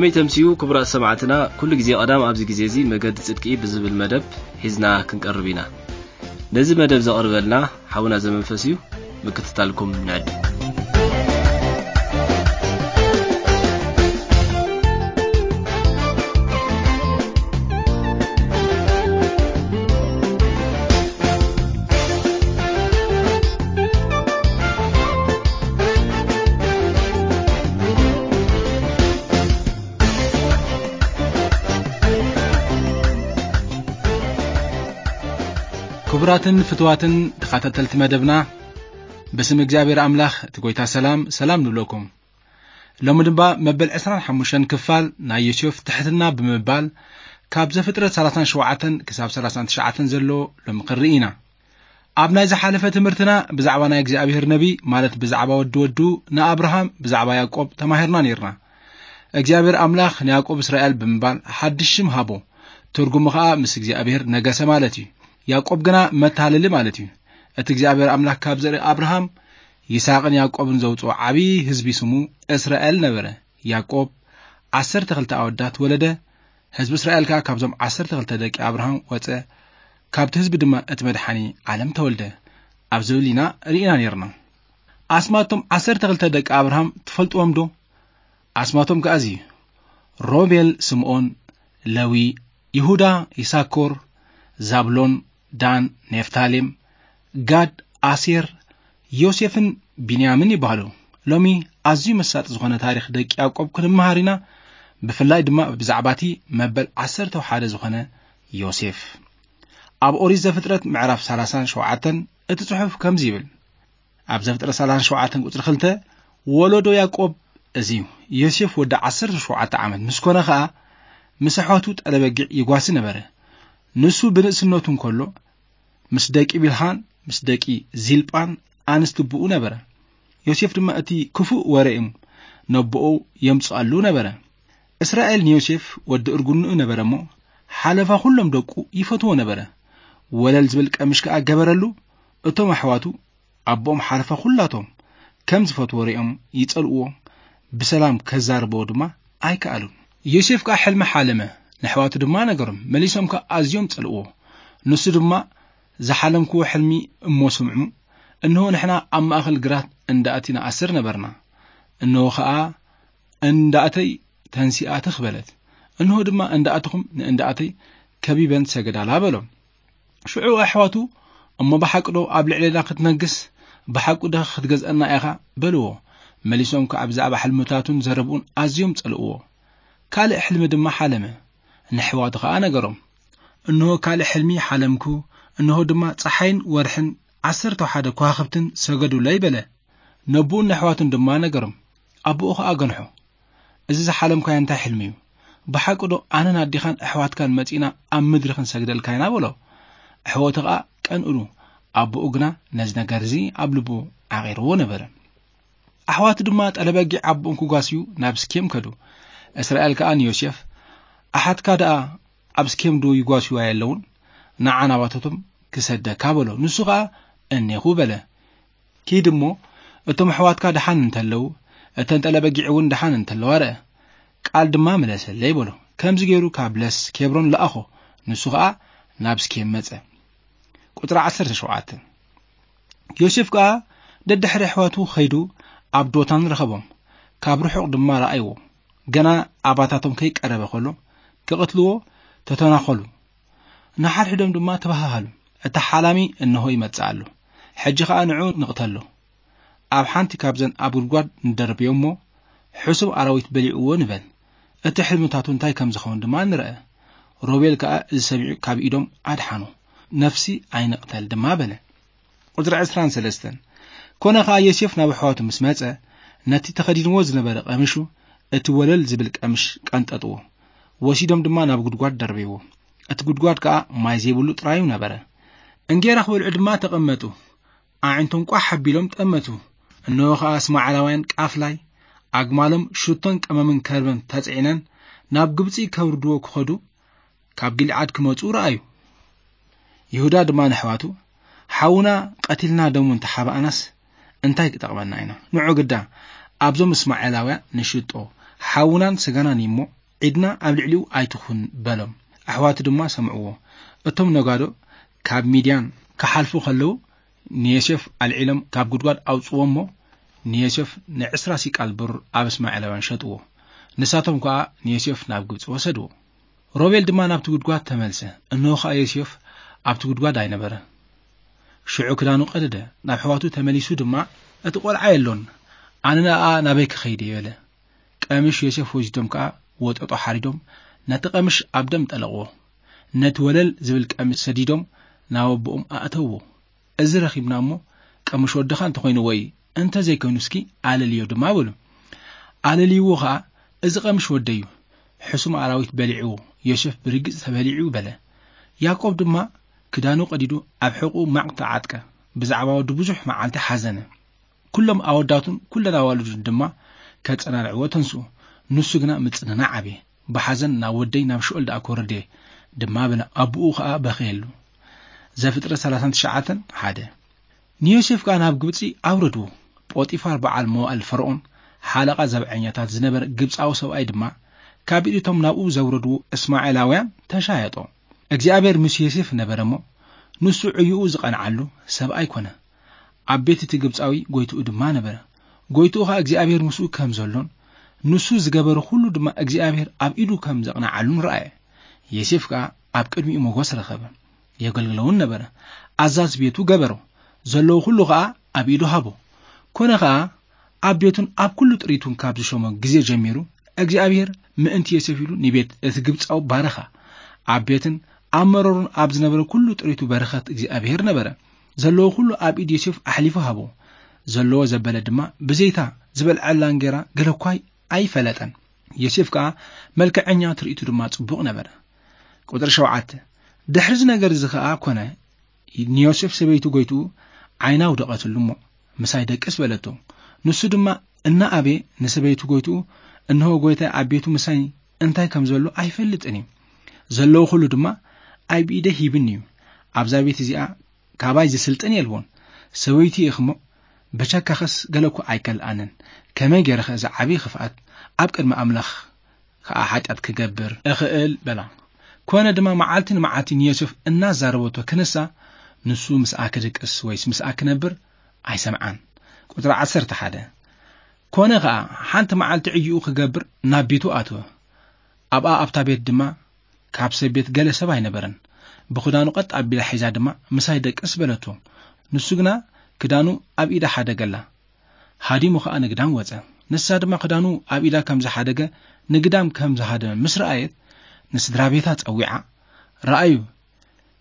ከመይ ተምስዩ ክቡራት ሰማዕትና፣ ኩሉ ግዜ ቀዳም ኣብዚ ግዜ እዚ መገዲ ጽድቂ ብዝብል መደብ ሒዝና ክንቀርብ ኢና። ነዚ መደብ ዘቕርበልና ሓውና ዘመንፈስ እዩ። ምክትታልኩም ንዕድ። ክቡራትን ፍትዋትን ተኸታተልቲ መደብና፣ ብስም እግዚኣብሔር ኣምላኽ እቲ ጎይታ ሰላም ሰላም ንብለኩም። ሎሚ ድማ መበል ዕስራን ሓሙሽተን ክፋል ናይ ዮሴፍ ትሕትና ብምባል፣ ካብ ዘፍጥረት ሰላሳን ሸውዓተን ክሳብ ሰላሳን ትሽዓተን ዘሎ ሎሚ ክንርኢ ኢና። ኣብ ናይ ዝሓለፈ ትምህርትና ብዛዕባ ናይ እግዚኣብሔር ነቢ፣ ማለት ብዛዕባ ወዲ ወዱ ንኣብርሃም፣ ብዛዕባ ያዕቆብ ተማሂርና ነይርና። እግዚኣብሔር ኣምላኽ ንያዕቆብ እስራኤል ብምባል ሓድሽ ሽም ሃቦ። ትርጉሙ ኸኣ ምስ እግዚኣብሔር ነገሰ ማለት እዩ። ያዕቆብ ግና መታለሊ ማለት እዩ። እቲ እግዚኣብሔር ኣምላኽ ካብ ዘርኢ ኣብርሃም፣ ይስሐቅን ያዕቆብን ዘውፅኦ ዓብዪ ህዝቢ ስሙ እስራኤል ነበረ። ያዕቆብ ዓሰርተ ክልተ ኣወዳት ወለደ። ህዝቢ እስራኤል ከኣ ካብዞም ዓሰርተ ክልተ ደቂ ኣብርሃም ወፀ። ካብቲ ህዝቢ ድማ እቲ መድሓኒ ዓለም ተወልደ። ኣብ ዝብል ኢና ርኢና ነይርና። ኣስማቶም ዓሰርተ ክልተ ደቂ ኣብርሃም ትፈልጥዎም ዶ? ኣስማቶም ከኣ እዚ እዩ። ሮቤል፣ ስምዖን፣ ለዊ፣ ይሁዳ፣ ይሳኮር፣ ዛብሎን፣ ዳን፣ ኔፍታሌም፣ ጋድ፣ ኣሴር፣ ዮሴፍን ቢንያምን ይበሃሉ። ሎሚ ኣዝዩ መሳጢ ዝኾነ ታሪኽ ደቂ ያዕቆብ ክንመሃር ኢና፣ ብፍላይ ድማ ብዛዕባ እቲ መበል ዓሰርተ ሓደ ዝኾነ ዮሴፍ። ኣብ ኦሪት ዘፍጥረት ምዕራፍ ሰላሳን ሸውዓተን እቲ ጽሑፍ ከምዚ ይብል፣ ኣብ ዘፍጥረት ሰላሳን ሸውዓተን ቁጽሪ ክልተ፣ ወለዶ ያዕቆብ እዚ እዩ። ዮሴፍ ወዲ ዓሰርተ ሸውዓተ ዓመት ምስ ኮነ ኸኣ፣ ምስ ኣሕዋቱ ጠለበጊዕ ይጓሲ ነበረ። ንሱ ብንእስነቱ እንከሎ፣ ምስ ደቂ ቢልሃን ምስ ደቂ ዚልጳን ኣንስቲ ብኡ ነበረ። ዮሴፍ ድማ እቲ ክፉእ ወረ እዮም ነቦኡ የምጽኣሉ ነበረ። እስራኤል ንዮሴፍ ወዲ እርጉንኡ ነበረ እሞ፣ ሓለፋ ኩሎም ደቁ ይፈትዎ ነበረ። ወለል ዝብል ቀምሽ ከኣ ገበረሉ። እቶም ኣሕዋቱ ኣቦኦም ሓለፋ ኩላቶም ከም ዝፈትዎ ርእዮም ይጸልእዎ፣ ብሰላም ከዛርብዎ ድማ ኣይከኣሉን። ዮሴፍ ከኣ ሕልሚ ሓለመ፣ ንኣሕዋቱ ድማ ነገሮም፣ መሊሶም ከኣ ኣዝዮም ጸልእዎ። ንሱ ድማ፣ ዝሓለምክዎ ሕልሚ እሞ ስምዑ፣ እንሆ ንሕና ኣብ ማእከል ግራት እንዳእቲ ንኣስር ነበርና፣ እንሆ ኸኣ እንዳእተይ ተንሲኣ ትኽ በለት፣ እንሆ ድማ እንዳእትኹም ንእንዳእተይ ከቢበን ሰገዳላ በሎም። ሽዑ ኣሕዋቱ፣ እሞ ብሓቂ ዶ ኣብ ልዕሌና ክትነግስ፣ ብሓቂ ዶ ክትገዝአና ኢኻ በልዎ። መሊሶም ከኣ ብዛዕባ ሕልምታቱን ዘረብኡን ኣዝዮም ጸልእዎ። ካልእ ሕልሚ ድማ ሓለመ፣ ንኣሕዋቱ ኸኣ ነገሮም። እንሆ ካልእ ሕልሚ ሓለምኩ፣ እንሆ ድማ ጸሓይን ወርሕን ዓሰርተ ሓደ ከዋኽብትን ሰገዱለይ በለ። ነቦኡን ንኣሕዋቱን ድማ ነገሮም። ኣቦኡ ኸኣ ገንሖ፣ እዚ ዝሓለምካዮ እንታይ ሕልሚ እዩ? ብሓቂ ዶ ኣነን ኣዴኻን ኣሕዋትካን መጺእና ኣብ ምድሪ ክንሰግደልካ ኢና በሎ። ኣሕዋቱ ኸኣ ቀንእሉ፣ ኣቦኡ ግና ነዚ ነገር እዚ ኣብ ልቡ ዓቒርዎ ነበረ። ኣሕዋቱ ድማ ጠለበጊዕ ኣቦኦም ክጓስዩ ናብ ስኬም ከዱ። እስራኤል ከኣ ንዮሴፍ፣ ኣሓትካ ደኣ ኣብ ስኬም ዶ ይጓስዩ ኣየለውን? ንዓ ናባታቶም ክሰደካ በሎ። ንሱ ኸኣ እኔኹ በለ። ኪድ እሞ እቶም ኣሕዋትካ ደሓን እንተለዉ፣ እተን ጠለበጊዕ እውን ደሓን እንተለዋ ርአ፣ ቃል ድማ ምለሰለይ በሎ። ከምዚ ገይሩ ካብ ለስ ኬብሮን ለኣኾ፣ ንሱ ኸኣ ናብ ስኬም መጸ። ቁጽሪ ዓሰርተ ሸውዓተ። ዮሴፍ ከኣ ደድሕሪ ኣሕዋቱ ኸይዱ ኣብ ዶታን ረኸቦም፣ ካብ ርሑቕ ድማ ረኣይዎ። ገና ኣባታቶም ከይቀረበ ኸሎ ክቕትልዎ ተተናኸሉ። ንሓድሕዶም ድማ ተባሃሃሉ፣ "እቲ ሓላሚ እንሆ ይመጽእ ኣሎ፣ ሕጂ ኸኣ ንዕኡ ንቕተሎ። ኣብ ሓንቲ ካብዘን ኣብ ጉድጓድ ንደርብዮ እሞ፣ ሕሱም ኣራዊት በሊዕዎ ንበል። እቲ ሕልምታቱ እንታይ ከም ዝኸውን ድማ ንርአ።" ሮቤል ከኣ እዚ ሰሚዑ ካብ ኢዶም ኣድሓኖ፣ "ነፍሲ ኣይንቕተል" ድማ በለ። ቁጽሪ ዕስራን ሰለስተን። ኮነ ኸኣ ዮሴፍ ናብ ኣሕዋቱ ምስ መጸ፣ ነቲ ተኸዲንዎ ዝነበረ ቀምሹ፣ እቲ ወለል ዝብል ቀምሽ ቀንጠጥዎ። ወሲዶም ድማ ናብ ጉድጓድ ደርብይዎ። እቲ ጉድጓድ ከኣ ማይ ዘይብሉ ጥራዩ ነበረ። እንጌራ ክበልዑ ድማ ተቐመጡ። ኣዒንቶም ቋሕ ኣቢሎም ጠመቱ። እንሆ ኸኣ እስማዓላውያን ቃፍላይ ኣግማሎም ሽቶን ቀመምን ከርበን ተጽዒነን ናብ ግብጺ ከውርድዎ ክኸዱ ካብ ጊልዓድ ክመጹ ረኣዩ። ይሁዳ ድማ ንኣሕዋቱ፣ "ሓውና ቀቲልና ደሙ እንተሓባእናስ እንታይ ክጠቕመና ኢና? ንዑ ግዳ ኣብዞም እስማኤላውያን ንሽጦ፣ ሓውናን ስጋናን እዩ እሞ፣ ዒድና ኣብ ልዕሊኡ ኣይትኹን በሎም። ኣሕዋቱ ድማ ሰምዕዎ። እቶም ነጋዶ ካብ ሚድያን ክሓልፉ ከለዉ፣ ንዮሴፍ ኣልዒሎም ካብ ጉድጓድ ኣውጽዎ እሞ፣ ንዮሴፍ ንዕስራ ሲቃል ብሩር ኣብ እስማኤላውያን ሸጥዎ። ንሳቶም ከኣ ንዮሴፍ ናብ ግብጺ ወሰድዎ። ሮቤል ድማ ናብቲ ጉድጓድ ተመልሰ። እንሆ ከኣ ዮሴፍ ኣብቲ ጉድጓድ ኣይነበረ። ሽዑ ክዳኑ ቀደደ። ናብ ኣሕዋቱ ተመሊሱ ድማ፣ "እቲ ቆልዓ የሎን፣ ኣነ ንኣኣ ናበይ ክኸይድ እየ?" በለ። ቀምሽ ዮሴፍ ወሲዶም ከኣ ወጠጦ ሓሪዶም ነቲ ቀምሽ ኣብ ደም ጠለቕዎ። ነቲ ወለል ዝብል ቀምሽ ሰዲዶም ናብ ኣቦኦም ኣእተውዎ። "እዚ ረኺብና እሞ ቀምሽ ወድኻ እንተኾይኑ ወይ እንተ ዘይኮይኑ እስኪ ኣለልዮ" ድማ በሉ። ኣለልይዎ ኸኣ፣ "እዚ ቀምሽ ወደዩ፣ ሕሱም ኣራዊት በሊዕዎ፣ ዮሴፍ ብርግጽ ተበሊዑ" በለ። ያዕቆብ ድማ ክዳኑ ቀዲዱ ኣብ ሕቑኡ ማቕ ተዓጥቀ። ብዛዕባ ወዱ ብዙሕ መዓልቲ ሓዘነ። ኩሎም ኣወዳቱን ኩለን ኣዋልዱን ድማ ከጸናንዕዎ ተንስኡ። ንሱ ግና ምጽንናዕ ኣብየ። "ብሓዘን ናብ ወደይ ናብ ሽኦል ደኣ ክወርድ እየ" ድማ በለ። ኣቦኡ ኸኣ በኸየሉ። ዘፍጥረት ሰላሳን ትሽዓተን ሓደ። ንዮሴፍ ከኣ ናብ ግብጺ ኣውረድዎ። ጶጢፋር በዓል መዋእል ፈርኦን ሓለቓ ዘብዐኛታት ዝነበረ ግብጻዊ ሰብኣይ ድማ ካብ ኢድ እቶም ናብኡ ዘውረድዎ እስማኤላውያን ተሻየጦ። እግዚኣብሔር ምስ ዮሴፍ ነበረ እሞ፣ ንሱ ዕዩኡ ዝቐንዓሉ ሰብኣይ ኮነ። ኣብ ቤት እቲ ግብጻዊ ጎይትኡ ድማ ነበረ። ጎይትኡ ኸኣ እግዚኣብሔር ምስኡ ከም ዘሎን ንሱ ዝገበረ ኩሉ ድማ እግዚኣብሔር ኣብ ኢዱ ከም ዘቕንዓሉን ረኣየ። ዮሴፍ ከኣ ኣብ ቅድሚኡ ሞገስ ረኸበ። የገልግለውን ነበረ። ኣዛዝ ቤቱ ገበሮ። ዘለዉ ኩሉ ኸኣ ኣብ ኢዱ ሃቦ። ኮነ ኸኣ ኣብ ቤቱን ኣብ ኩሉ ጥሪቱን ካብ ዝሾሞ ግዜ ጀሚሩ፣ እግዚኣብሔር ምእንቲ ዮሴፍ ኢሉ ንቤት እቲ ግብጻዊ ባረኻ። ኣብ ቤትን ኣብ መረሩን ኣብ ዝነበረ ኩሉ ጥሪቱ በረኸት እግዚኣብሔር ነበረ። ዘለዎ ኩሉ ኣብ ኢድ ዮሴፍ ኣሕሊፉ ሃቦ። ዘለዎ ዘበለ ድማ ብዘይታ ዝበልዐላ እንጌራ ገለ እኳ ኣይፈለጠን። ዮሴፍ ከኣ መልክዐኛ፣ ትርኢቱ ድማ ጽቡቕ ነበረ። ቁጽሪ ሸውዓተ። ድሕሪ እዚ ነገር እዚ ኸኣ ኮነ፣ ንዮሴፍ ሰበይቱ ጎይትኡ ዓይና ኣውደቐትሉ እሞ፣ "ምሳይ ደቅስ" በለቶ። ንሱ ድማ እናኣበየ ንሰበይቱ ጎይትኡ፣ "እንሆ ጎይታይ ኣብ ቤቱ ምሳይ እንታይ ከም ዘሎ ኣይፈልጥን እዩ። ዘለዎ ኩሉ ድማ ኣብ ኢደይ ሂብኒ እዩ። ኣብዛ ቤት እዚኣ ካባይ ዝስልጥን የልቦን። ሰበይቱ ኢኺ እሞ፣ ብቸካኸስ ገለ እኳ ኣይከልኣንን። ከመይ ገይረ ኸ እዚ ዓብዪ ኽፍኣት ኣብ ቅድሚ ኣምላኽ ከኣ ሓጢኣት ክገብር እኽእል?" በላ። ኮነ ድማ መዓልቲ ንመዓልቲ ንዮሴፍ እናዛረበቶ ክንሳ፣ ንሱ ምስኣ ክድቅስ ወይስ ምስኣ ክነብር ኣይሰምዓን። ቁጽሪ ዓሰርተ ሓደ። ኮነ ኸኣ ሓንቲ መዓልቲ ዕዩኡ ክገብር ናብ ቤቱ ኣተወ። ኣብኣ ኣብታ ቤት ድማ ካብ ሰብ ቤት ገለ ሰብ ኣይነበረን። ብኽዳኑ ቀጥ ኣቢላ ሒዛ ድማ፣ "ምሳይ ደቅስ" በለቶ። ንሱ ግና ክዳኑ ኣብ ኢዳ ሓደገላ። ሃዲሙ ኸኣ ንግዳም ወጸ። ንሳ ድማ ክዳኑ ኣብ ኢዳ ከም ዝሓደገ፣ ንግዳም ከም ዝሃደመ ምስ ረኣየት፣ ንስድራ ቤታ ጸዊዓ፣ "ረኣዩ፣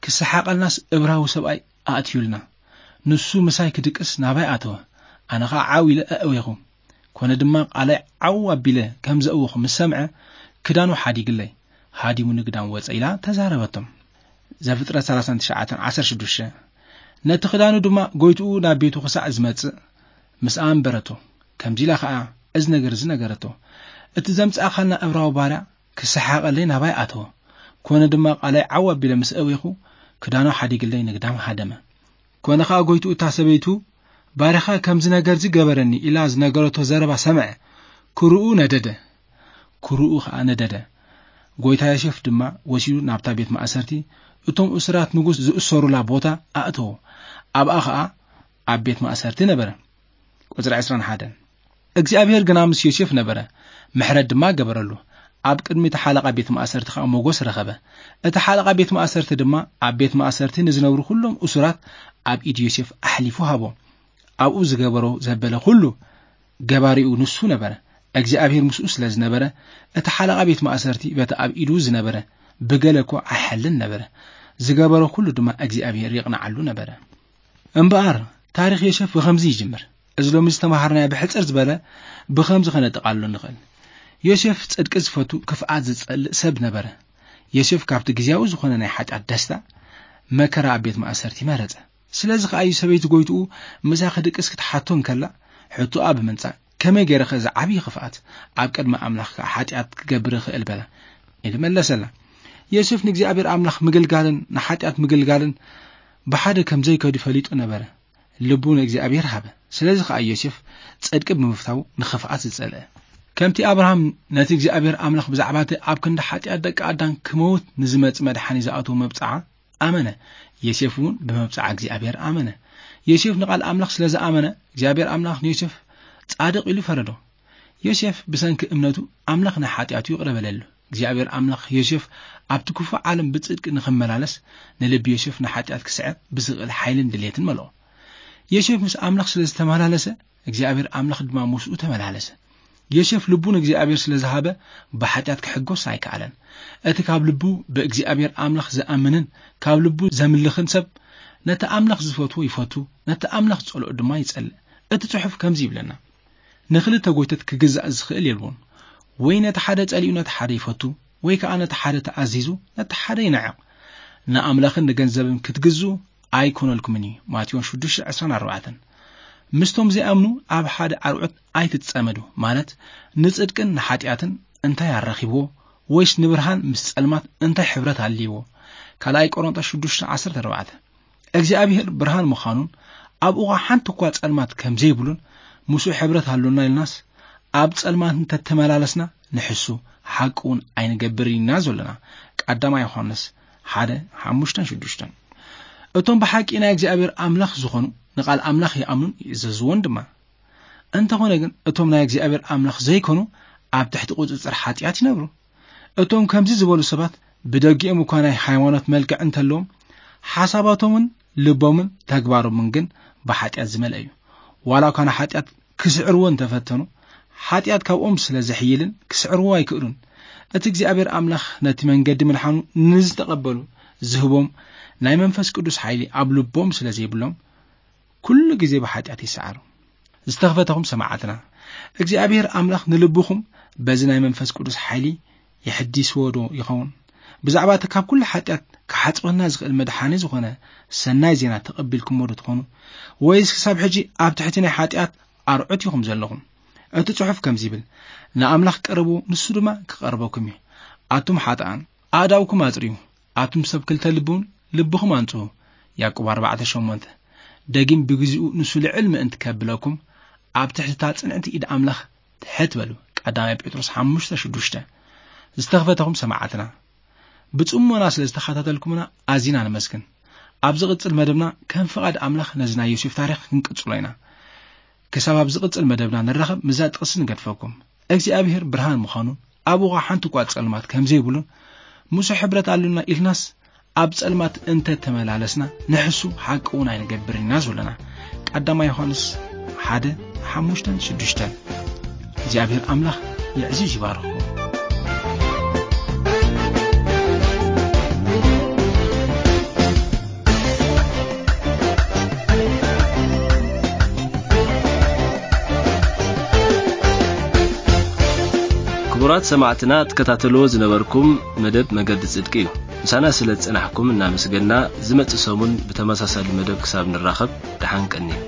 ክሰሓቐልናስ እብራዊ ሰብኣይ ኣእትዩልና። ንሱ ምሳይ ክድቅስ ናባይ ኣተወ። ኣነ ኸኣ ዓው ኢለ ኣእዌኹ። ኮነ ድማ ቃለይ ዓው ኣቢለ ከም ዘእወኹ ምስ ሰምዐ፣ ክዳኑ ሓዲግለይ፣ ሃዲሙ ንግዳም ወጸ" ኢላ ተዛረበቶም። ዘፍጥረት ሰላሳን ትሽዓተን ዓሰርተ ሽዱሽተ። ነቲ ክዳኑ ድማ ጎይትኡ ናብ ቤቱ ክሳዕ ዝመጽእ ምስ ኣንበረቶ፣ ከምዚ ኢላ ኸኣ እዚ ነገር እዚ ነገረቶ፣ "እቲ ዘምጻእኻልና እብራዊ ባርያ ክሰሓቐለይ ናባይ ኣተወ። ኮነ ድማ ቃለይ ዓው ኣቢለ ምስ ኣእዌኹ፣ ክዳኑ ሓዲግለይ ንግዳም ሃደመ። ኮነ ኸኣ ጎይትኡ እታ ሰበይቱ ባርያኻ ከምዚ ነገር እዚ ገበረኒ" ኢላ ዝነገረቶ ዘረባ ሰምዐ። ክርኡ ነደደ። ክርኡ ኸኣ ነደደ። ጎይታ ዮሴፍ ድማ ወሲዱ ናብታ ቤት ማእሰርቲ፣ እቶም እሱራት ንጉስ ዝእሰሩላ ቦታ ኣእተዎ። ኣብኣ ኸኣ ኣብ ቤት ማእሰርቲ ነበረ። ቁጽሪ ዕስራን ሓደን። እግዚኣብሔር ግና ምስ ዮሴፍ ነበረ፣ ምሕረት ድማ ገበረሉ። ኣብ ቅድሚ እቲ ሓለቓ ቤት ማእሰርቲ ኸኣ ሞገስ ረኸበ። እቲ ሓለቓ ቤት ማእሰርቲ ድማ ኣብ ቤት ማእሰርቲ ንዝነብሩ ኩሎም እሱራት ኣብ ኢድ ዮሴፍ ኣሕሊፉ ሃቦ። ኣብኡ ዝገበሮ ዘበለ ኩሉ ገባሪኡ ንሱ ነበረ። እግዚኣብሔር ምስኡ ስለ ዝነበረ፣ እቲ ሓለቓ ቤት ማእሰርቲ በቲ ኣብ ኢዱ ዝነበረ ብገለ እኳ ኣይሓልን ነበረ። ዝገበሮ ኩሉ ድማ እግዚኣብሔር ይቕንዓሉ ነበረ። እምበኣር፣ ታሪኽ ዮሴፍ ብኸምዚ ይጅምር። እዚ ሎሚ ዝተምሃርናዮ ብሕጽር ዝበለ ብኸምዚ ከነጠቓልሎ ንኽእል። ዮሴፍ ጽድቂ ዝፈቱ፣ ክፍኣት ዝጸልእ ሰብ ነበረ። ዮሴፍ ካብቲ ግዝያዊ ዝኾነ ናይ ሓጢኣት ደስታ፣ መከራ ኣብ ቤት ማእሰርቲ መረጸ። ስለዚ ኸኣ እዩ ሰበይቲ ጎይትኡ ምሳ ክድቅስ ክትሓቶ እንከላ፣ ሕቶኣ ብምንጻግ፣ "ከመይ ገይረ ኸ እዚ ዓብዪ ክፍኣት ኣብ ቅድሚ ኣምላኽ ከኣ ሓጢኣት ክገብር እኽእል?" በላ ኢሉ መለሰላ። ዮሴፍ ንእግዚኣብሔር ኣምላኽ ምግልጋልን ንሓጢኣት ምግልጋልን ብሓደ ከም ዘይከዱ ፈሊጡ ነበረ። ልቡ ንእግዚኣብሔር ሃበ። ስለዚ ኸኣ ዮሴፍ ጽድቂ ብምፍታው ንኽፍኣት ዝጸልአ። ከምቲ ኣብርሃም ነቲ እግዚኣብሔር ኣምላኽ ብዛዕባ እቲ ኣብ ክንዲ ሓጢኣት ደቂ ኣዳም ክመውት ንዝመጽእ መድሓኒ ዝኣተወ መብጽዓ ኣመነ፣ ዮሴፍ እውን ብመብጽዓ እግዚኣብሔር ኣመነ። ዮሴፍ ንቓል ኣምላኽ ስለ ዝኣመነ እግዚኣብሔር ኣምላኽ ንዮሴፍ ጻድቕ ኢሉ ፈረዶ። ዮሴፍ ብሰንኪ እምነቱ ኣምላኽ ናይ ሓጢኣቱ ይቕረ በለሉ። እግዚኣብሔር ኣምላኽ ዮሴፍ ኣብቲ ክፉእ ዓለም ብጽድቂ ንኽመላለስ፣ ንልቢ ዮሴፍ ንሓጢኣት ክስዕር ብዝኽእል ሓይልን ድሌትን መልኦ። ዮሴፍ ምስ ኣምላኽ ስለ ዝተመላለሰ እግዚኣብሔር ኣምላኽ ድማ ምስኡ ተመላለሰ። ዮሴፍ ልቡ ንእግዚኣብሔር ስለ ዝሃበ ብሓጢኣት ክሕጎስ ኣይከኣለን። እቲ ካብ ልቡ ብእግዚኣብሔር ኣምላኽ ዝኣምንን ካብ ልቡ ዘምልኽን ሰብ ነቲ ኣምላኽ ዝፈትዎ ይፈቱ፣ ነቲ ኣምላኽ ዝጸልኦ ድማ ይጸልእ። እቲ ጽሑፍ ከምዚ ይብለና፣ ንኽልተ ጎይተት ክግዛእ ዝኽእል የልቦን። ወይ ነቲ ሓደ ጸሊኡ ነቲ ሓደ ይፈቱ፣ ወይ ከኣ ነቲ ሓደ ተኣዚዙ ነቲ ሓደ ይንዕቕ። ንኣምላኽን ንገንዘብን ክትግዝኡ ኣይኮነልኩምን እዩ። ማቴዎስ ሽዱሽተ ዕስራን ኣርባዕተን። ምስቶም ዘይኣምኑ ኣብ ሓደ ኣርዑት ኣይትጸመዱ፣ ማለት ንጽድቅን ንሓጢኣትን እንታይ ኣራኺብዎ፣ ወይስ ንብርሃን ምስ ጸልማት እንታይ ሕብረት ኣልይዎ? ካልኣይ ቆሮንቶስ ሽዱሽተ ዓሰርተ ኣርባዕተ። እግዚኣብሔር ብርሃን ምዃኑን ኣብኡ ሓንቲ እኳ ጸልማት ከም ዘይብሉን ምስኡ ሕብረት ኣሎና ኢልናስ ኣብ ጸልማት እንተተመላለስና ንሕሱ ሓቂ እውን ኣይንገብር ኢና ዘለና። ቀዳማይ ዮሃንስ ሓደ ሓሙሽተን ሽዱሽተን። እቶም ብሓቂ ናይ እግዚኣብሔር ኣምላኽ ዝኾኑ ንቓል ኣምላኽ ይኣምኑን ይእዘዝዎን ድማ። እንተኾነ ግን እቶም ናይ እግዚኣብሔር ኣምላኽ ዘይኮኑ ኣብ ትሕቲ ቁጽጽር ሓጢኣት ይነብሩ። እቶም ከምዚ ዝበሉ ሰባት ብደጊኦም እኳ ናይ ሃይማኖት መልክዕ እንተለዎም ሓሳባቶምን ልቦምን ተግባሮምን ግን ብሓጢኣት ዝመልአ እዩ። ዋላ እኳ ንሓጢኣት ክስዕርዎ እንተፈተኑ ሓጢኣት ካብኦም ስለ ዘሕይልን ክስዕርዎ ኣይክእሉን። እቲ እግዚኣብሔር ኣምላኽ ነቲ መንገዲ ምድሓኑ ንዝተቐበሉ ዝህቦም ናይ መንፈስ ቅዱስ ሓይሊ ኣብ ልቦም ስለ ዘይብሎም ኩሉ ግዜ ብሓጢኣት ይሰዓሩ። ዝተኽፈተኹም ሰማዕትና እግዚኣብሔር ኣምላኽ ንልብኹም በዚ ናይ መንፈስ ቅዱስ ሓይሊ የሕዲስዎ ዶ ይኸውን? ብዛዕባ እቲ ካብ ኩሉ ሓጢኣት ክሓጽበና ዝኽእል መድሓኒ ዝኾነ ሰናይ ዜና ተቐቢልኩሞ ዶ ትኾኑ? ወይስ ክሳብ ሕጂ ኣብ ትሕቲ ናይ ሓጢኣት ኣርዑት ኢኹም ዘለኹም? እቲ ጽሑፍ ከምዚ ይብል፣ ንኣምላኽ ቅረቡ፣ ንሱ ድማ ክቐርበኩም እዩ። ኣቱም ሓጥኣን ኣእዳውኩም ኣጽርዩ፣ ኣቱም ሰብ ክልተ ልቢ እውን ልብኹም ኣንጽሁ። ያዕቆብ ኣርባዕተ ሸሞንተ። ደጊም ብግዚኡ ንሱ ልዕል ምእንቲ ከብለኩም ኣብ ትሕቲ እታ ጽንዕቲ ኢድ ኣምላኽ ትሕት በሉ። ቀዳማይ ጴጥሮስ ሓሙሽተ ሽዱሽተ። ዝተኽፈተኹም ሰማዕትና ብጽሞና ስለ ዝተኸታተልኩምና ኣዚና ነመስግን። ኣብ ዝቕጽል መደብና ከም ፍቓድ ኣምላኽ ነዚ ናይ ዮሴፍ ታሪኽ ክንቅጽሎ ኢና። ክሳብ ኣብ ዝቕጽል መደብና ንራኸብ ምስዛ ጥቕሲ ንገድፈኩም። እግዚኣብሔር ብርሃን ምዃኑን ኣብኡ ሓንቲ እኳ ጸልማት ከም ዘይብሉን ምስኡ ሕብረት ኣሉና ኢልናስ ኣብ ጸልማት እንተ ተመላለስና ንሕሱ ሓቂ እውን ኣይንገብርን ኢና ዘለና። ቀዳማይ ዮሃንስ ሓደ ሓሙሽተን ሽዱሽተን። እግዚኣብሔር ኣምላኽ የዕዚዝ ይባርኽኩም። ክቡራት ሰማዕትና ትከታተልዎ ዝነበርኩም መደብ መገዲ ጽድቂ እዩ። ምሳና ስለ ዝጸናሕኩም እናመስገና ዝመጽእ ሰሙን ብተመሳሳሊ መደብ ክሳብ ንራኸብ ደሓን ቀንዩ።